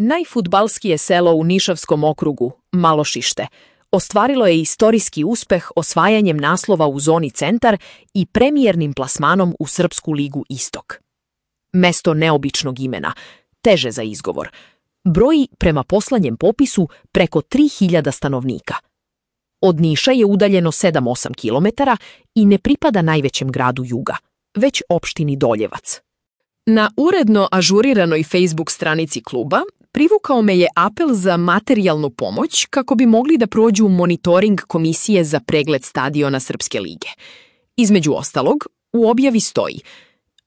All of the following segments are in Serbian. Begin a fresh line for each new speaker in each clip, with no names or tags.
Najfudbalskije selo u Nišavskom okrugu, Malošište, ostvarilo je istorijski uspeh osvajanjem naslova u zoni Centar i premijernim plasmanom u Srpsku ligu Istok. Mesto neobičnog imena, teže za izgovor, broji prema poslednjem popisu preko 3000 stanovnika. Od Niša je udaljeno 7-8 kilometara i ne pripada najvećem gradu juga, već opštini Doljevac. Na uredno ažuriranoj Facebook stranici kluba privukao me je apel za materijalnu pomoć kako bi mogli da prođu monitoring komisije za pregled stadiona Srpske lige. Između ostalog, u objavi stoji: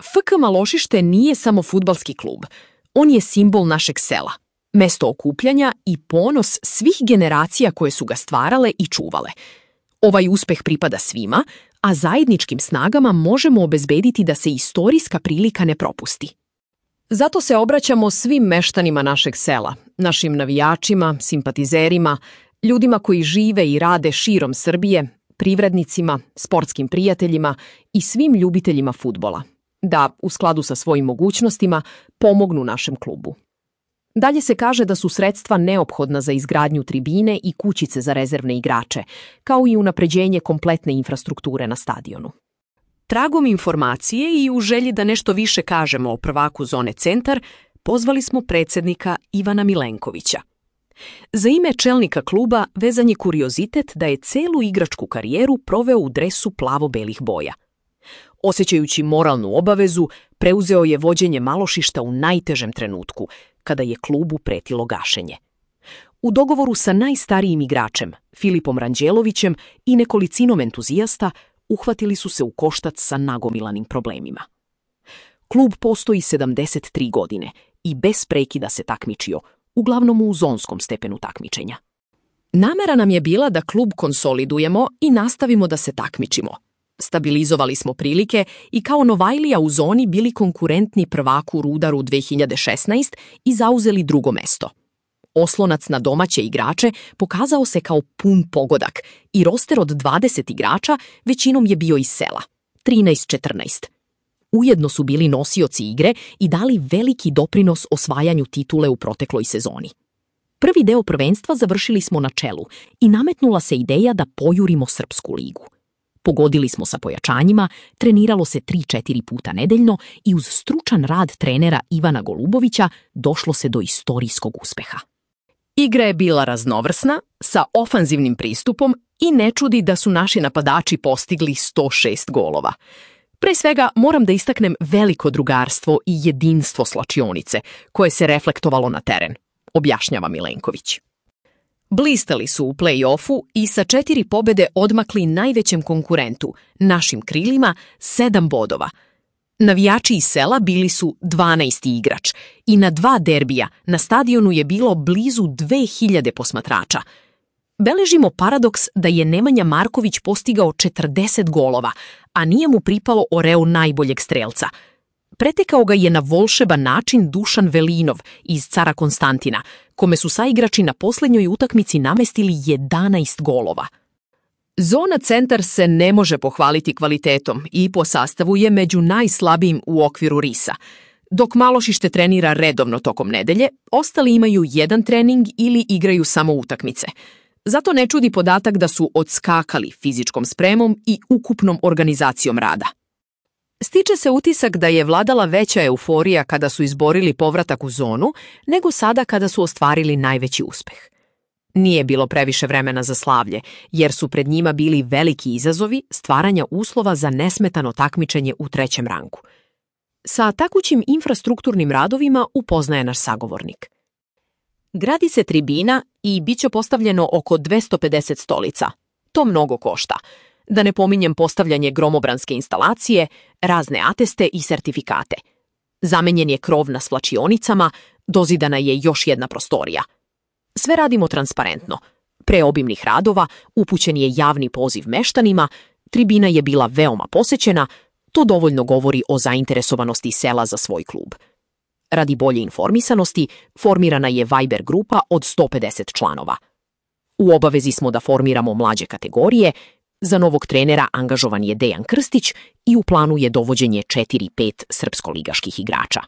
FK Malošište nije samo fudbalski klub, on je simbol našeg sela, mesto okupljanja i ponos svih generacija koje su ga stvarale i čuvale. Ovaj uspeh pripada svima, a zajedničkim snagama možemo obezbediti da se istorijska prilika ne propusti. Zato se obraćamo svim meštanima našeg sela, našim navijačima, simpatizerima, ljudima koji žive i rade širom Srbije, privrednicima, sportskim prijateljima i svim ljubiteljima fudbala, da, u skladu sa svojim mogućnostima, pomognu našem klubu. Dalje se kaže da su sredstva neophodna za izgradnju tribine i kućice za rezervne igrače, kao i unapređenje kompletne infrastrukture na stadionu. Tragom informacije i u želji da nešto više kažemo o prvaku zone Centar, pozvali smo predsednika Ivana Milenkovića. Za ime čelnika kluba vezan je kuriozitet da je celu igračku karijeru proveo u dresu plavo-belih boja. Osjećajući moralnu obavezu, preuzeo je vođenje Malošišta u najtežem trenutku, kada je klubu pretilo gašenje. U dogovoru sa najstarijim igračem, Filipom Ranđelovićem i nekolicinom entuzijasta, uhvatili su se u koštac sa nagomilanim problemima. Klub postoji 73 godine i bez prekida se takmičio, uglavnom u zonskom stepenu takmičenja. Namera nam je bila da klub konsolidujemo i nastavimo da se takmičimo. Stabilizovali smo prilike i kao Novajlija u zoni bili konkurentni prvaku Rudaru 2016 i zauzeli drugo mesto. Oslonac na domaće igrače pokazao se kao pun pogodak i roster od 20 igrača većinom je bio iz sela, 13-14. Ujedno su bili nosioci igre i dali veliki doprinos osvajanju titule u protekloj sezoni. Prvi deo prvenstva završili smo na čelu i nametnula se ideja da pojurimo Srpsku ligu. Pogodili smo sa pojačanjima, treniralo se 3-4 puta nedeljno i uz stručan rad trenera Ivana Golubovića došlo se do istorijskog uspeha. Igra je bila raznovrsna, sa ofanzivnim pristupom i ne čudi da su naši napadači postigli 106 golova. Pre svega moram da istaknem veliko drugarstvo i jedinstvo slačionice, koje se reflektovalo na teren, objašnjava Milenković. Blistali su u play-offu i sa 4 pobede odmakli najvećem konkurentu, našim krilima, 7 bodova. Navijači iz sela bili su 12. igrač i na 2 derbija na stadionu je bilo blizu 2000 posmatrača. Beležimo paradoks da je Nemanja Marković postigao 40 golova, a nije mu pripalo oreol najboljeg strelca. Pretekao ga je na volšeban način Dušan Velinov iz Cara Konstantina, kome su saigrači na posljednjoj utakmici namestili 11 golova. Zona Centar se ne može pohvaliti kvalitetom i po sastavu je među najslabijim u okviru RIS-a. Dok Malošište trenira redovno tokom nedelje, ostali imaju jedan trening ili igraju samo utakmice. Zato ne čudi podatak da su odskakali fizičkom spremom i ukupnom organizacijom rada. Stiče se utisak da je vladala veća euforija kada su izborili povratak u zonu, nego sada kada su ostvarili najveći uspeh. Nije bilo previše vremena za slavlje, jer su pred njima bili veliki izazovi stvaranja uslova za nesmetano takmičenje u 3. rangu. Sa takućim infrastrukturnim radovima upoznaje naš sagovornik. Gradi se tribina i bit će postavljeno oko 250 stolica. To mnogo košta. Da ne pominjem postavljanje gromobranske instalacije, razne ateste i sertifikate. Zamenjen je krov na svlačionicama, dozidana je još jedna prostorija. Sve radimo transparentno. Pre obimnih radova upućen je javni poziv meštanima, tribina je bila veoma posećena, to dovoljno govori o zainteresovanosti sela za svoj klub. Radi bolje informisanosti, formirana je Viber grupa od 150 članova. U obavezi smo da formiramo mlađe kategorije, za novog trenera angažovan je Dejan Krstić i u planu je dovođenje 4-5 srpskoligaških igrača.